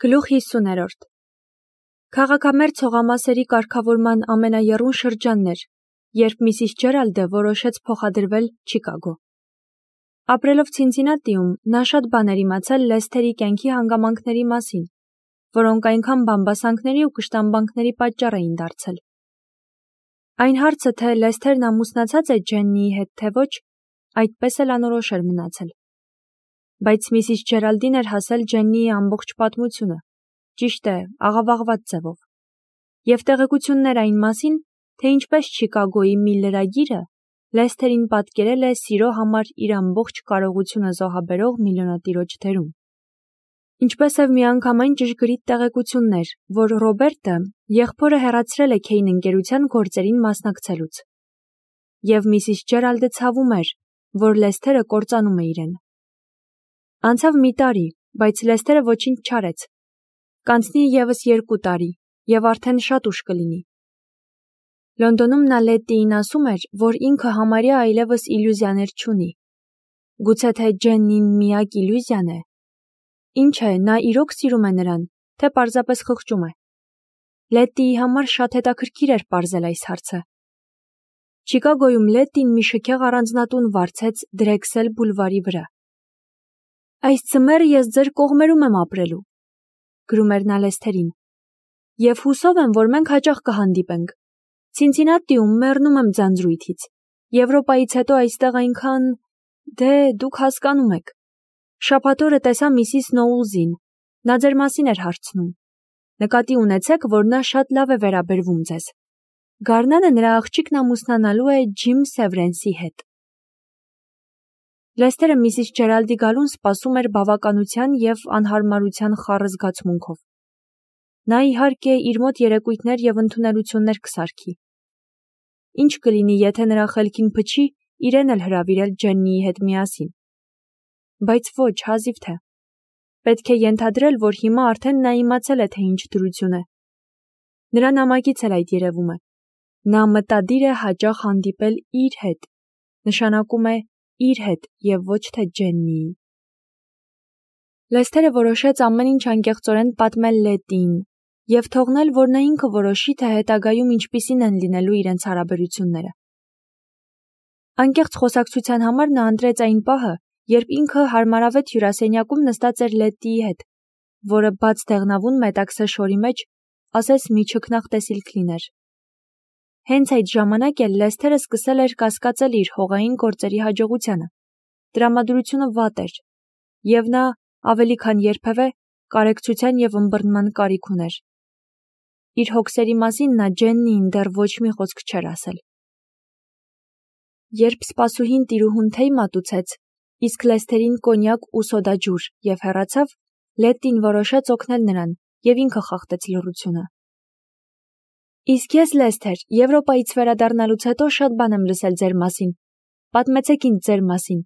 Գլուխ 50-րդ Քաղաքամերձ հողամասերի կարգավորման ամենաեռուն շրջանն էր, երբ Միսիս Ջերալդը որոշեց փոխադրվել Չիկագո։ Ապրելով Ցինցինատիում, նա շատ բաներ իմացել Լեսթերի կյանքի հանգամանքների մասին, որոնք այնքան բամբասանքների ու կշտամբանքների պատճառ էին դարձել։ Այն հարցը, թե Լեսթերն ամուսնացած է Ջեննիի հետ, թե ոչ, այդպես էլ անորոշ էր մնացել։ Բայց Միսիս Ջերալդին էր հասել Ջեննիի ամբողջ պատմությունը, ճիշտ է, աղավաղված ձևով, և տեղեկություններ այն մասին, թե ինչպես Չիկագոյի մի լրագիրը Լեսթերին պատկերել է սիրո համար իր ամբողջ կարողությունը զոհաբերող միլիոնատիրոջ դերում։ Ինչպես և միանգամայն ճշգրիտ տեղեկություններ, որ Ռոբերտը եղբորը հեռացրել է Քեյն ընկերության գործերին մասնակցելուց։ Եվ Միսիս Ջերալդը ցավում էր, որ Լեսթերը կործանում է իրեն։ Անցավ մի տարի, բայց Լեսթերը ոչինչ չարեց։ Կանցնի ևս 2 տարի, և արդեն շատ ուշ կլինի։ Լոնդոնում նա Լետտիին ասում էր, որ ինքը համարյա այլևս իլյուզիաներ չունի։ Գուցե թե Ջեննին միակ իլյուզիան է։ Ինչ է, նա իրոք սիրում է նրան, թե պարզապես խղճում է։ Լետտիի համար շատ հետաքրքիր էր պարզել այս հարցը։ Չիկագոյում Լետտին մի շքեղ առանձնատուն վարձեց Դրեքսել բուլվարի վրա։ Այս ձմեռը ես ձեր կողմերում եմ ապրելու, գրում էր նա Լեսթերին, և հուսով եմ, որ մենք հաճախ կհանդիպենք։ Ցինցինատիում մեռնում եմ ձանձրույթից, Եվրոպայից հետո այստեղ այնքան… Դե, դուք հասկանում եք։ Շաբաթ օրը տեսա Միսիս Նոուլզին, նա ձեր մասին էր հարցնում։ Նկատի ունեցեք, որ նա շատ լավ է վերաբերվում ձեզ։ Գարնանը նրա աղջիկն ամուսնանալու է Ջիմ Սևրենսի հետ։ Լեսթերը Միսիս Ջերալդի գալուն սպասում էր բավականության և անհարմարության խառը զգացմունքով։ Նա իհարկե իր մոտ երեկույթներ և ընդունելություններ կսարքի։ Ինչ կլինի, եթե նրա խելքին փչի իրեն էլ հրավիրել Ջեննիի հետ միասին։ Բայց ոչ, հազիվ թե։ Պետք է ենթադրել, որ հիմա արդեն նա իմացել է, թե ինչ դրություն է։ Նրա նամակից էլ այդ երևում է։ Նա մտադիր է հաճախ հանդիպել իր հետ, նշանակում է իր հետ և ոչ թե Ջեննիի։ Լեսթերը որոշեց ամեն ինչ անկեղծորեն պատմել Լետտիին և թողնել, որ նա ինքը որոշի, թե հետագայում ինչպիսին են լինելու իրենց հարաբերությունները։ Անկեղծ խոսակցության համար նա ընտրեց այն պահը, երբ ինքը հարմարավետ հյուրասենյակում նստած էր Լետտիի հետ, որը բաց դեղնավուն մետաքսե շորի մեջ ասես մի չքնաղ տեսիլք լիներ։ Հենց այդ ժամանակ էլ Լեսթերը սկսել էր կասկածել իր հողային գործերի հաջողությանը։ Տրամադրությունը վատ էր, և նա, ավելի քան երբևէ, կարեկցության և ըմբռնման կարիք ուներ։ Իր հոգսերի մասին նա Ջեննիին դեռ ոչ մի խոսք չէր ասել։ Երբ սպասուհին տիրուհուն թեյ մատուցեց, իսկ Լեսթերին կոնյակ ու սոդաջուր և հեռացավ, Լետտին որոշեց օգնել նրան և ինքը խախտեց լռությունը։ Իսկ ես, Լեսթեր, Եվրոպայից վերադառնալուց հետո շատ բան եմ լսել ձեր մասին։ Պատմեցեք ինձ ձեր մասին։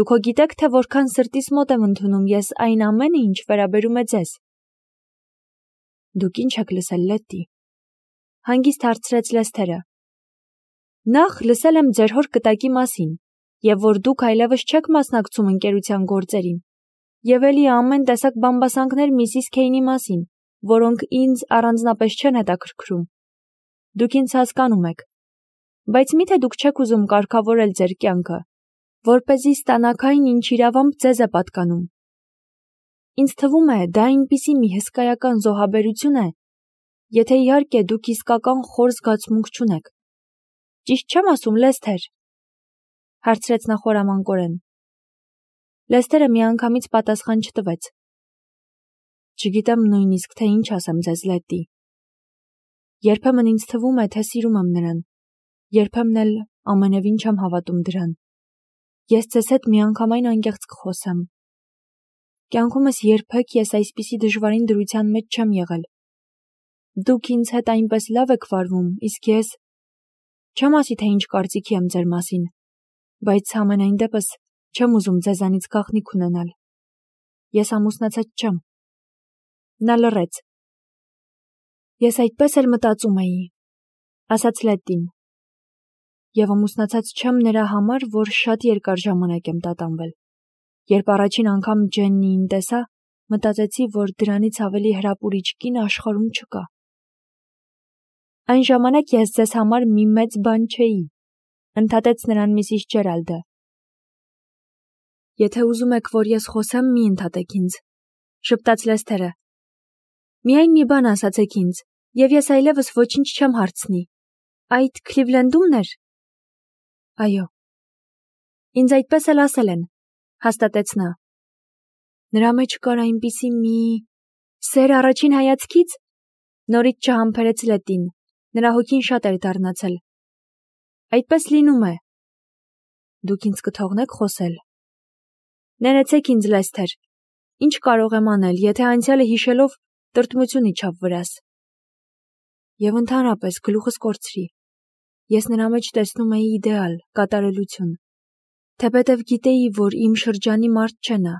Դուք հո գիտեք, թե որքան սրտիս մոտ եմ ընդունում ես այն ամենը, ինչ վերաբերում է ձեզ։ Դուք ինչ եք լսել, Լետտի։ Հանգիստ հարցրեց Լեսթերը։ Նախ լսել եմ ձեր հոր կտակի մասին, և որ դուք այլևս չեք մասնակցում ընկերության գործերին, և էլի ամեն տեսակ բամբասանքներ Միսիս Քեյնի մասին, որոնք ինձ առանձնապես չեն հետաքրքրում։ Դուք ինձ հասկանում եք։ Բայց միթե դուք չեք ուզում կարգավորել ձեր կյանքը, որպեսզի ստանաք այն, ինչ իրավամբ ձեզ է պատկանում։ Ինձ թվում է, դա այնպիսի մի հսկայական զոհաբերություն է, եթե իհարկե դուք իսկական խոր զգացմունք չունեք։ Ճիշտ չեմ ասում, Լեսթեր, հարցրեց նա խորամանկորեն։ Լեսթերը միանգամից պատասխան չտվեց։ Չգիտեմ նույնիսկ, թե ինչ ասեմ ձեզ, Լետտի։ Երբեմն ինձ թվում է, թե սիրում եմ նրան, երբեմն էլ ամենևին չեմ հավատում դրան։ Ես ձեզ հետ միանգամայն անկեղծ կխոսեմ։ Կյանքումս երբեք ես այսպիսի դժվարին դրության մեջ չեմ եղել։ Դուք ինձ հետ այնպես լավ եք վարվում, իսկ ես… Չեմ ասի, թե ինչ կարծիքի եմ ձեր մասին, բայց համենայն դեպս չեմ ուզում ձեզանից գաղտնիք ունենալ։ Ես ամուսնացած չեմ։ Նա լռեց։ Ես այդպես էլ մտածում էի, ասաց Լետտին։ Եվ ամուսնացած չեմ նրա համար, որ շատ երկար ժամանակ եմ տատանվել։ Երբ առաջին անգամ Ջեննիին տեսա, մտածեցի, որ դրանից ավելի հրապուրիչ կին աշխարհում չկա։ Այն ժամանակ ես ձեզ համար մի մեծ բան չէի, ընդհատեց նրան Միսիս Ջերալդը։ Եթե ուզում եք, որ ես խոսեմ, մի ընդհատեք ինձ, շպտաց Լեսթերը։ Միայն մի բան ասացեք ինձ, եւ ես այլևս ոչինչ չեմ հարցնի։ Այդ Քլիվլենդումն էր։ Այո։ Ինձ այդպես էլ ասել են, հաստատեց նա։ Նրա մեջ կար այնպիսի մի սեր առաջին հայացքից, նորից չհամբերեց Լետին, նրա հոգին շատ էր դառնացել։ Այդպես լինում է։ Դուք ինձ կթողնեք խոսել։ Ներեցեք ինձ, Լեսթեր, ինչ կարող եմ անել, եթե անցյալը հիշելով տրտմություն իջավ վրաս։ Եվ ընդհանրապես գլուխս կորցրի։ Ես նրա մեջ տեսնում էի իդեալ, կատարելություն։ Թեպետև գիտեի, որ իմ շրջանի մարդ չէ նա։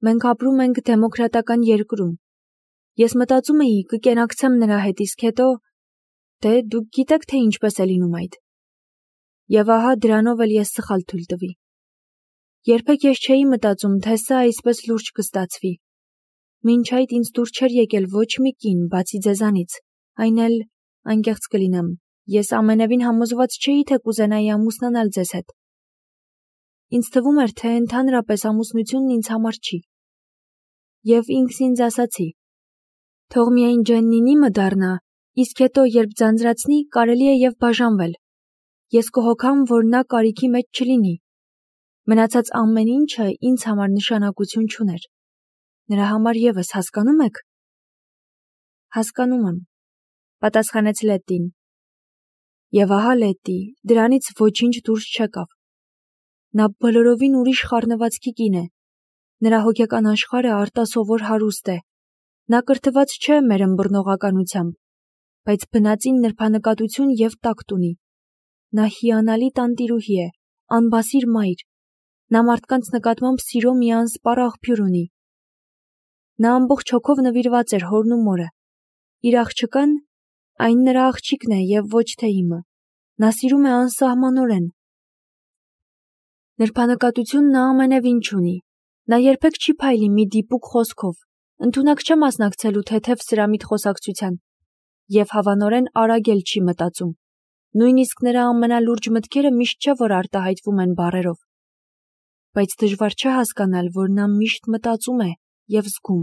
Մենք ապրում ենք դեմոկրատական երկրում։ Ես մտածում էի, կկենակցեմ նրա հետ, իսկ հետո, դուք գիտեք, թե ինչպես է լինում այդ։ Եվ ահա դրանով էլ ես սխալ թույլ տվի։ Երբեք ես չէի մտածում, թե սա այսպես լուրջ կստացվի։ Մինչ այդ ինձ դուր չէր եկել ոչ մի կին, բացի ձեզանից, այն էլ, անկեղծ կլինեմ, ես ամենևին համոզված չէի, թե կուզենայի ամուսնանալ ձեզ հետ։ Ինձ թվում էր, թե ընդհանրապես ամուսնությունն ինձ համար չի։ Եվ ինքս ինձ ասացի. թող միայն Ջեննին իմը դառնա, իսկ հետո, երբ ձանձրացնի, կարելի է եւ բաժանվել։ Ես կհոգամ, որ նա կարիքի մեջ չլինի։ Մնացած ամեն ինչը ինձ համար նշանակություն չուներ։ Նրա համար եւս հասկանում եք։ Հասկանում եմ, պատասխանեց Լետին։ Եվ ահա Լետի, դրանից ոչինչ դուրս չեկավ։ Նա բոլորովին ուրիշ խառնվածքի կին է։ Նրա հոգեկան աշխարհը արտասովոր հարուստ է։ Նա կրթված չէ մեր ըմբռնողականությամբ, բայց բնածին նրբանկատություն եւ տակտ ունի։ Նա հիանալի տանտիրուհի է, անբասիր մայր։ Նա մարդկանց նկատմամբ սիրո մի անսպառ աղբյուր ունի։ Նա ամբողջ հոգով նվիրված էր հորն ու մորը։ Իր աղջկան, այն նրա աղջիկն է եւ ոչ թե իմը։ Նա սիրում է անսահմանորեն։ Նրբանկատություն նա ամենևին չունի։ Նա երբեք չի փայլի մի դիպուկ խոսքով, ընդունակ չէ մասնակցելու թեթև սրամիտ խոսակցության եւ հավանորեն արագ էլ չի մտածում։ Նույնիսկ նրա ամենալուրջ մտքերը միշտ չէ, որ արտահայտվում են բառերով։ Բայց դժվար չէ հասկանալ, որ նա միշտ մտածում է եւ զգում։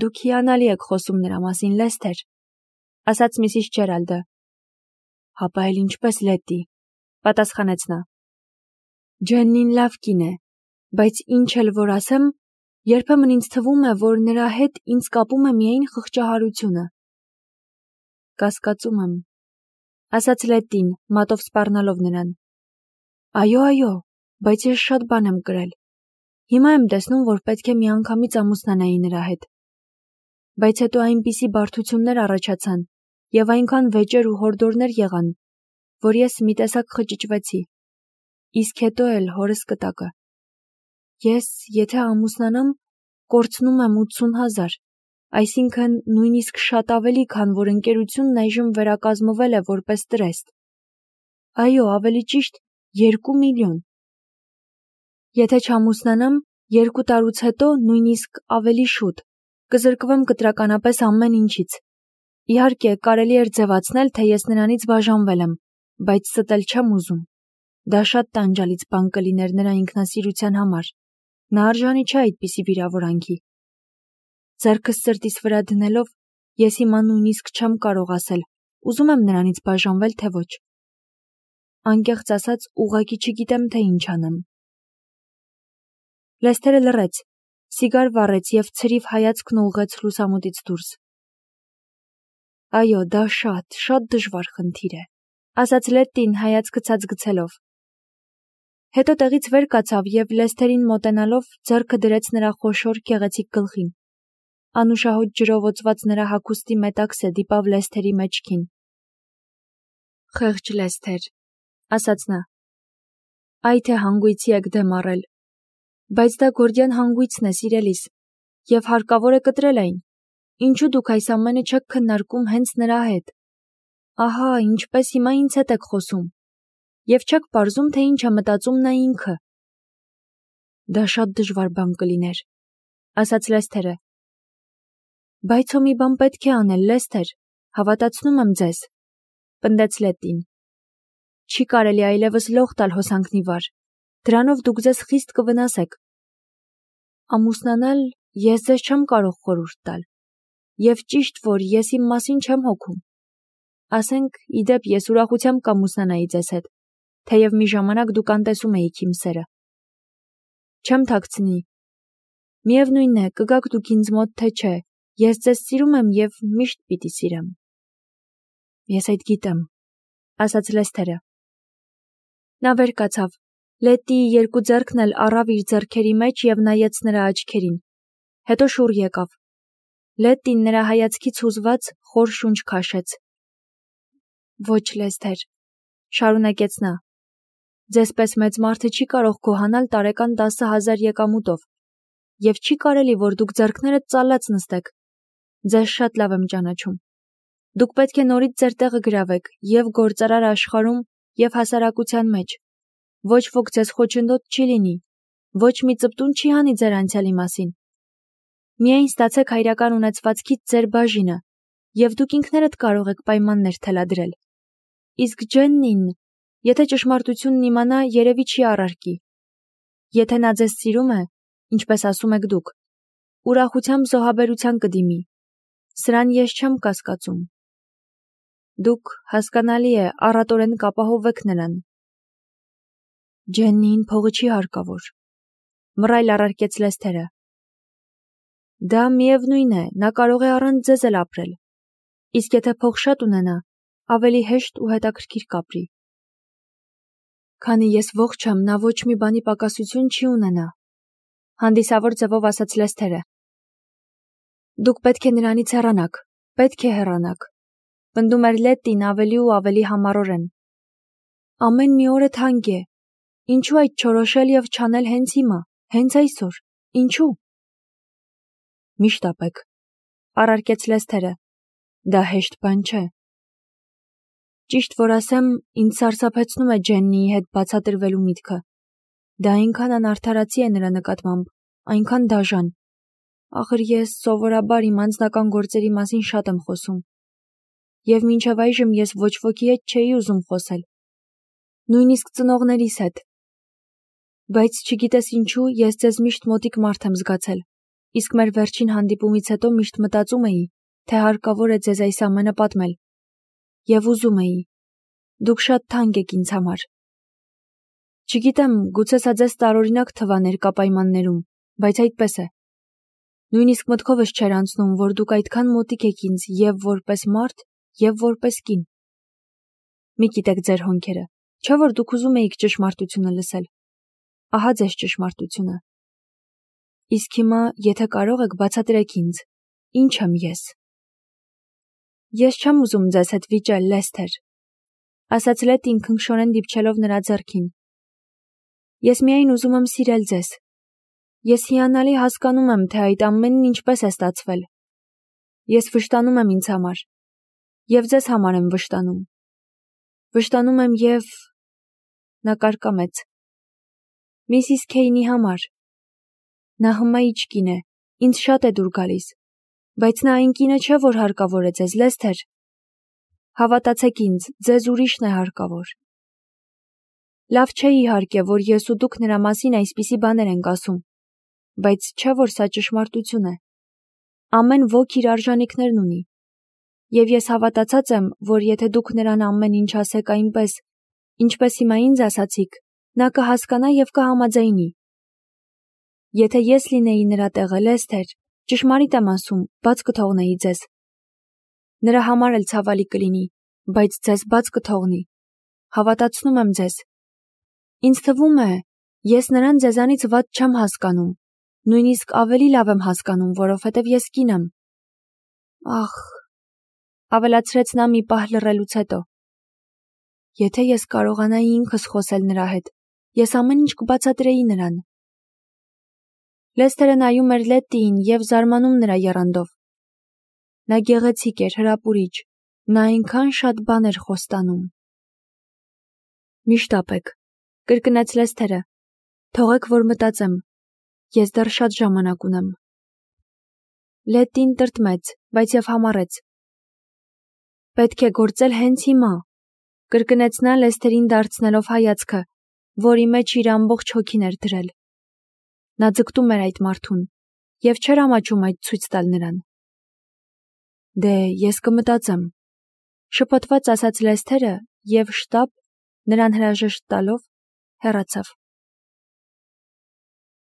Դուք հիանալի եք խոսում նրա մասին, Լեսթեր, ասաց Միսիս Ջերալդը։ Հապա էլ ինչպես Լետի, պատասխանեց նա։ Ջեննին լավ կին է, բայց ինչ էլ որ ասեմ, երբեմն ինձ թվում է, որ նրա հետ ինձ կապում է միայն խղճահարությունը։ Կասկածում եմ, ասաց Լետին, մատով սպառնալով նրան։ Այո, բայց ես շատ բան եմ կրել։ Հիմա եմ տեսնում, որ պետք է միանգամից ամուսնանայի նրա հետ։ Բայց հետո այնպիսի բարդություններ առաջացան եւ այնքան վեճեր ու հորդորներ եղան, որ ես մի տեսակ խճճվեցի։ Իսկ հետո էլ հորս կտակը։ Ես, եթե ամուսնանամ, կորցնում եմ 80,000, այսինքն նույնիսկ շատ ավելի, քան որ ընկերությունն այժմ վերակազմվել է որպես տրեստ։ Այո, ավելի ճիշտ 2 միլիոն։ Եթե չամուսնանամ, 2 տարուց հետո, նույնիսկ ավելի շուտ, կզրկվեմ կտրականապես ամեն ինչից։ Իհարկե, կարելի էր ձևացնել, թե ես նրանից բաժանվել եմ, բայց ստել չեմ ուզում։ Դա շատ տանջալից բան կլիներ նրա ինքնասիրության համար։ Նա արժանի չէ այդպիսի վիրավորանքի։ Ձեռքս սրտիս վրա դնելով, ես հիմա նույնիսկ չեմ կարող ասել, ուզում եմ նրանից բաժանվել, թե ոչ։ Անկեղծ ասած, ուղղակի չգիտեմ, թե ինչ անեմ։ Լեսթերը լռեց, սիգար վառեց եւ ցրիվ հայացքն ուղղեց լուսամուտից դուրս։ Այո, դա շատ դժվար խնդիր է, ասաց Լետին հայացքը ցած գցելով։ Հետո տեղից վեր կացավ եւ Լեսթերին մոտենալով ձեռքը դրեց նրա խոշոր գեղեցիկ գլխին։ Անուշահոտ ջրով օծված նրա հագուստի մետաքսը դիպավ Լեսթերի մեջքին։ Խեղճ Լեսթեր, ասաց նա։ Այ թե հանգույցի եք դեմ առել։ Բայց դա գորդյան հանգույցն է, սիրելիս, եւ հարկավոր է կտրել այն։ Ինչու դուք այս ամենը չեք քննարկում հենց նրա հետ։ Ահա, ինչպես հիմա ինձ հետ եք խոսում։ Եվ չեք պարզում, թե ինչ է մտածում նա ինքը։ Դա շատ դժվար բան կլիներ։ ասաց Լեսթերը։ Բայց մի բան պետք է անել, Լեսթեր, հավատացնում եմ ձեզ, պնդեց Լետտին։ Չի կարելի այլևս լող տալ հոսանքնի վար, դրանով դուք ձեզ խիստ կվնասեք։ Ամուսնանալ ես ձեզ չեմ կարող խորհուրդ տալ, և ճիշտ, որ ես իմ մասին չեմ հոգում։ Ասենք, իդեպ ես ուրախությամբ կամուսնանայի ձեզ հետ, թեև մի ժամանակ դուք անտեսում էիք իմ սերը։ Չեմ թաքցնի։ Միևնույն է, կգաք դուք ինձ մոտ, թե չէ, ես ձեզ սիրում եմ և միշտ պիտի սիրեմ։ Ես այդ գիտեմ, ասաց Լեսթերը։ Նա վեր կացավ, Լետտիի երկու ձեռքն էլ առավ իր ձեռքերի մեջ և նայեց նրա աչքերին, հետո շուռ եկավ։ Լետտին նրա հայացքից հուզված խոր շունչ քաշեց։ Ոչ, Լեսթեր, շարունակեց նա, ձեզ պես մեծ մարդը չի կարող գոհանալ տարեկան 10,000 եկամուտով, և չի կարելի, որ դուք ձեռքներդ ծալած նստեք։ Ձեզ շատ լավ եմ ճանաչում։ Դուք պետք է նորից ձեր տեղը գրավեք և գործարար աշխարհում, և հասարակության մեջ։ Ոչ ոք ձեզ խոչընդոտ չի լինի, ոչ մի ծպտուն չի հանի ձեր անցյալի մասին։ Միայն ստացեք հայրական ունեցվածքից ձեր բաժինը, և դուք ինքներդ կարող եք պայմաններ թելադրել։ Իսկ Ջեննին, եթե ճշմարտությունն իմանա, երևի չի առարկի։ Եթե նա ձեզ սիրում է, ինչպես ասում եք դուք, ուրախությամբ զոհաբերության կդիմի։ Սրան ես չեմ կասկածում։ Դուք, հասկանալի է, առատորեն կապահովեք նրան։ Ջեննիին փողը չի հարկավոր, մռայլ առարկեց Լեսթերը։ Դա միևնույն է, նա կարող է առանց ձեզ էլ ապրել։ Իսկ եթե փող շատ ունենա, ավելի հեշտ ու հետաքրքիր կապրի։ Քանի ես ողջ եմ, նա ոչ մի բանի պակասություն չի ունենա, հանդիսավոր ձևով ասաց Լեսթերը։ Դուք պետք է նրանից հեռանաք, պետք է հեռանաք, պնդում էր Լետտին ավելի ու ավելի համառորեն։ Ամեն մի օրը թանկ է։ Ինչու այդ չորոշել և չանել հենց հիմա, հենց այսօր, ինչու։ Մի շտապեք, առարկեց Լեսթերը, դա հեշտ բան չէ։ Ճիշտ որ ասեմ, ինձ սարսափեցնում է Ջեննիի հետ բացատրվելու միտքը։ Դա այնքան անարդարացի է նրա նկատմամբ, այնքան դաժան։ Ախր ես սովորաբար իմ անձնական գործերի մասին շատ եմ խոսում։ Եվ մինչև այժմ ես ոչ ոքի հետ չէի ուզում խոսել։ Նույնիսկ ծնողներիս հետ։ Բայց չգիտես ինչու, ես ձեզ միշտ մոտիկ մարդ եմ զգացել, իսկ մեր վերջին հանդիպումից հետո միշտ մտածում էի, թե հարկավոր է ձեզ այս ամենը պատմել։ Եվ ուզում էի։ Դուք շատ թանկ եք ինձ համար։ Չգիտեմ, գուցե սա ձեզ տարօրինակ թվա ներկա պայմաններում, բայց այդպես է։ Նույնիսկ մտքովս չէր անցնում, որ դուք այդքան մոտիկ եք ինձ և որպես մարդ, և որպես կին։ Մի գիտեք ձեր հոնքերը, չէ՞ որ դուք ուզում էիք ճշմարտությունը լսել։ Ահա ձեզ ճշմարտությունը։ Իսկ հիմա, եթե կարող եք, բացատրեք ինձ, ինչ եմ ես։ Ես չեմ ուզում ձեզ հետ վիճել, Լեսթեր, ասաց Լետտին քնքշորեն դիպչելով նրա ձեռքին։ Ես միայն ուզում եմ սիրել ձեզ։ Ես հիանալի հասկանում եմ, թե այդ ամենն ինչպես է ստացվել։ Ես վշտանում եմ ինձ համար։ Եվ ձեզ համար եմ վշտանում։ Վշտանում եմ և… Նա կարկամեց։ Միսիս Քեյնի համար։ Նա հմայիչ կին է, ինձ շատ է դուր գալիս, բայց նա այն կինը չէ, որ հարկավոր է ձեզ, Լեսթեր։ Հավատացեք ինձ, ձեզ ուրիշն է հարկավոր։ Լավ չէ իհարկե, որ ես ու դուք նրա մասին այսպիսի բաներ ենք ասում, բայց չէ որ սա ճշմարտություն է։ Ամեն ոք իր արժանիքներն ունի։ Եվ ես հավատացած եմ, որ եթե դուք նրան ամեն ինչ ասեք այնպես, ինչպես հիմա ինձ ասացիք, նա կհասկանա և կհամաձայնի։ Եթե ես լինեի նրա տեղը, Լեսթեր, ճշմարիտ եմ ասում, բաց կթողնեի ձեզ։ Նրա համար էլ ցավալի կլինի, բայց ձեզ բաց կթողնի։ Հավատացնում եմ ձեզ։ Ինձ թվում է, ես նրան ձեզանից վատ չեմ հասկանում, նույնիսկ ավելի լավ եմ հասկանում, որովհետև ես կին եմ։ Ախ, ավելացրեց նա մի պահ լռելուց հետո։ Եթե ես կարողանայի ինքս խոսել նրա հետ, ես ամեն ինչ կբացատրեի նրան։ Լեսթերը նայում էր Լետտիին և զարմանում նրա եռանդով։ Նա գեղեցիկ էր, հրապուրիչ, նա այնքան շատ բան էր խոստանում։ Մի շտապեք, կրկնեց Լեսթերը, թողեք, որ մտածեմ, ես դեռ շատ ժամանակ ունեմ։ Լետին տրտմեց, բայց եւ համառեց. «Պետք է գործել հենց հիմա», կրկնեց նա Լեսթերին դարձնելով հայացքը, որի մեջ իր ամբողջ հոգին էր դրել։ Նա ձգտում էր այդ մարդուն եւ չէր ամաչում այդ ցույց տալ նրան։ «Դե, ես կմտածեմ», շփոթված ասաց Լեսթերը եւ շտապ, նրան հրաժեշտ տալով, հեռացավ։